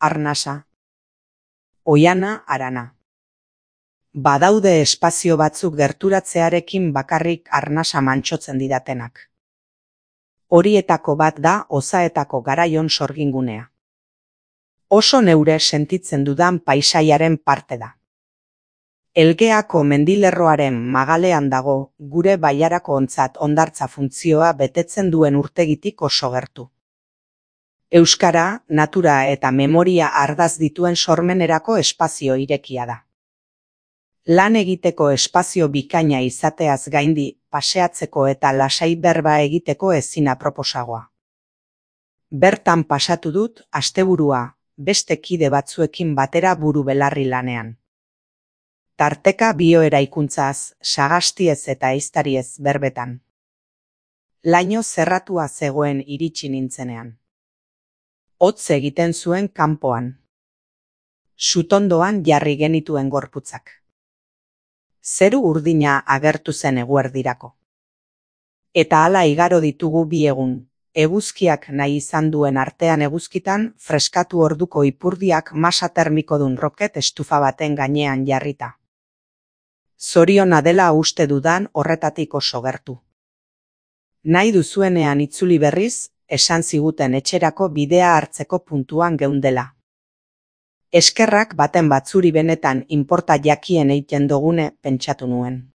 arnasa. Oihana, harana. Badaude espazio batzuk gerturatzearekin bakarrik arnasa mantsotzen didatenak. Horietako bat da Ozaetako Garaion sorgingunea. Oso neure sentitzen dudan paisaiaren parte da. Elgeako mendilerroaren magalean dago, gure bailarako ontzat hondartza funtzioa betetzen duen urtegitik oso gertu. Euskara, natura eta memoria ardaz dituen sormenerako espazio irekia da. Lan egiteko espazio bikaina izateaz gaindi, paseatzeko eta lasai berba egiteko ezin aproposagoa. Bertan pasatu dut asteburua, beste kide batzuekin batera buru belarri lanean. Tarteka bioeraikuntzaz, sagastiez eta ehiztariez berbetan. Laino zerratua zegoen iritsi nintzenean. Hotz egiten zuen kanpoan. Sutondoan jarri genituen gorputzak. Zeru urdina agertu zen eguerdirako. Eta hala igaro ditugu bi egun, eguzkiak nahi izan duen artean eguzkitan freskatu orduko ipurdiak masa termikodun roket estufa baten gainean jarrita. Zoriona dela uste dudan horretatik oso gertu. Nahi duzuenean itzuli berriz, esan ziguten etxerako bidea hartzeko puntuan geundela. Eskerrak baten batzuri benetan inporta jakien eiten dogune pentsatu nuen.